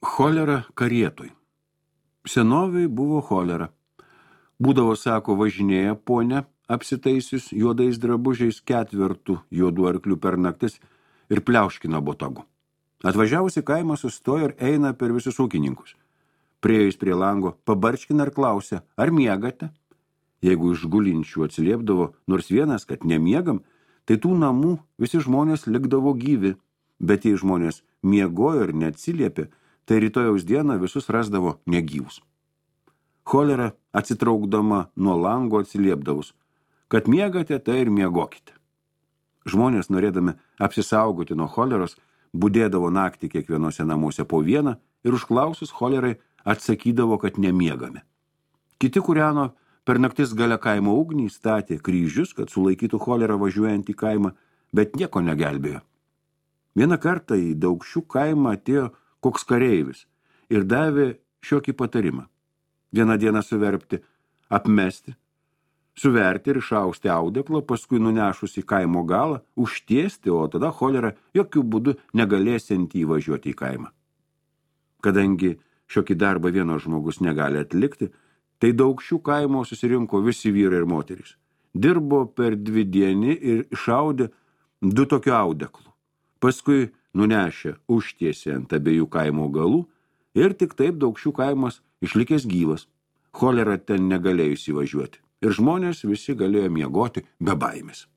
Cholera karietoj. Senoviai buvo cholera. Būdavo, sako, važinėja ponė, apsitaisius juodais drabužiais 4 juodų arklių per naktis ir pliauškina botagu. Atvažiavusi kaimą sustoja ir eina per visus ūkininkus. Priėjus prie lango, pabarškina ir klausia, ar miegate? Jeigu iš gulinčių atsiliepdavo nors vienas, kad nemiegam, tai tų namų visi žmonės likdavo gyvi, bet jei žmonės miegojo ir neatsiliepė, tai rytojaus dieną visus rasdavo negyvus. Cholera atsitraukdama nuo lango atsiliepdavus, kad miegate, tai ir miegokite. Žmonės, norėdami apsisaugoti nuo choleros, budėdavo naktį kiekvienose namuose po vieną ir užklausus cholerai atsakydavo, kad nemiegame. Kiti kūreno per naktis gale kaimo ugnį, statė kryžius, kad sulaikytų cholerą važiuojant į kaimą, bet nieko negelbėjo. Vieną kartą į Daukšių kaimą atėjo koks kareivis ir davė šiokį patarimą. Vieną dieną suverpti, apmesti, suverti ir išausti audeklą, paskui nunešus į kaimo galą, užtiesti, o tada cholera jokių būdų negalėsianti įvažiuoti į kaimą. Kadangi šiokį darbą vienas žmogus negali atlikti, tai Daukšių kaimo susirinko visi vyrai ir moterys. Dirbo per 2 dienį ir išaudė 2 tokių audeklų. Paskui nunešė užtiesė ant abiejų kaimo galų ir tik taip Daukšių kaimas išlikęs gyvas. Cholera ten negalėjo įsivažiuoti ir žmonės visi galėjo miegoti be baimės.